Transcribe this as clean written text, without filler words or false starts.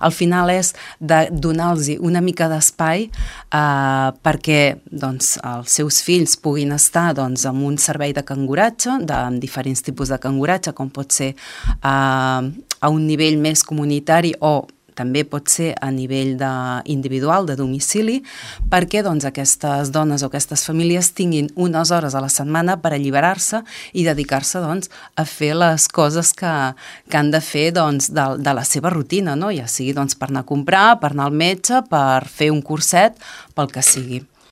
al final és de donar-los una mica d'espai perquè doncs, els seus fills puguin estar doncs, en un servei de canguratge, amb diferents tipus de canguratge, com pot ser a un nivell més comunitari o també pot ser a nivell individual, de domicili, perquè doncs, aquestes dones o aquestes famílies tinguin unes hores a la setmana per alliberar-se i dedicar-se doncs, a fer les coses que han de fer doncs, de la seva rutina, no? Ja sigui doncs, per anar a comprar, per anar al metge, per fer un curset, pel que sigui.